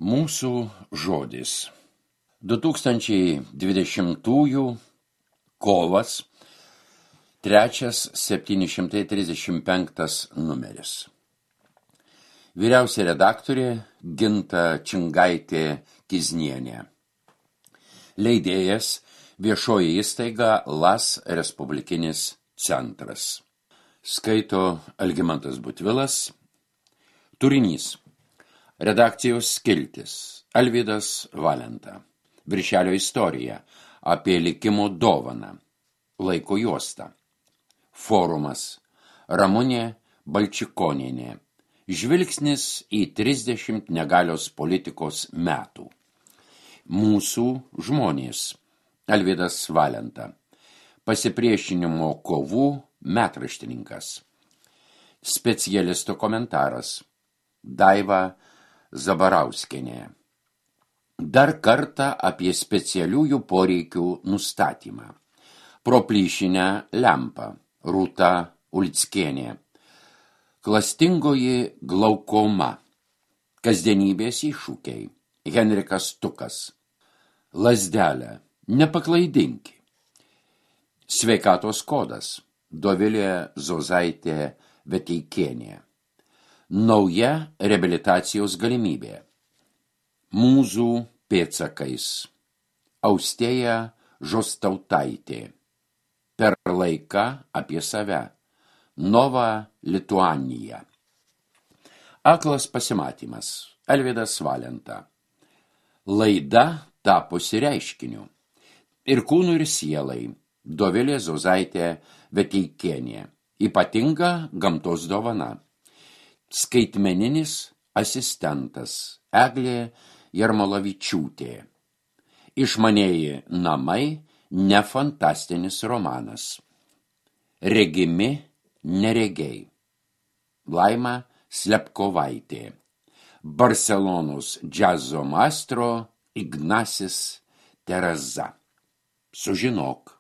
Mūsų žodis. 2020 kovas, 3.735 numeris. Vyriausia redaktorė Ginta Čingaitė-Kiznienė. Leidėjas viešoji įstaiga LAS Respublikinis centras. Skaito Algimantas Butvilas. Turinys. Redakcijos skiltis. Alvydas Valenta. Viršelio istorija. Apie likimo dovaną. Laiko juosta. Forumas. Ramunė Balčikonienė. Žvilgsnis į 30 negalios politikos metų. Mūsų žmonės. Alvydas Valenta. Pasipriešinimo kovų metraštininkas. Specialisto komentaras. Daiva Zabarauskienė. Dar kartą apie specialiųjų poreikių nustatymą. Pro plyšinę lempą. Rūta Ulckienė. Klastingoji glaukoma. Kasdienybės iššūkiai. Henrikas Tukas. Lazdelė. Nepaklaidinki. Sveikatos kodas. Dovilė Zozaitė Veteikienė. Nauja reabilitacijos galimybė. Mūzų pėdsakais. Austėja Žostautaitė. Per laiką apie save. Nova Lituanija. Aklas pasimatymas. Alvydas Valenta. Laida tapusi reiškiniu. Ir kūnų ir sielai. Dovilė Zozaitė Veteikienė. Ypatinga gamtos dovana. Skaitmeninis asistentas. Eglė Jarmolavičiūtė. Išmanieji namai, ne fantastinis romanas. Regimi neregiai. Laima Slepkovaitė. Barselonos džiazo maestro Ignasis Tereza. Sužinok.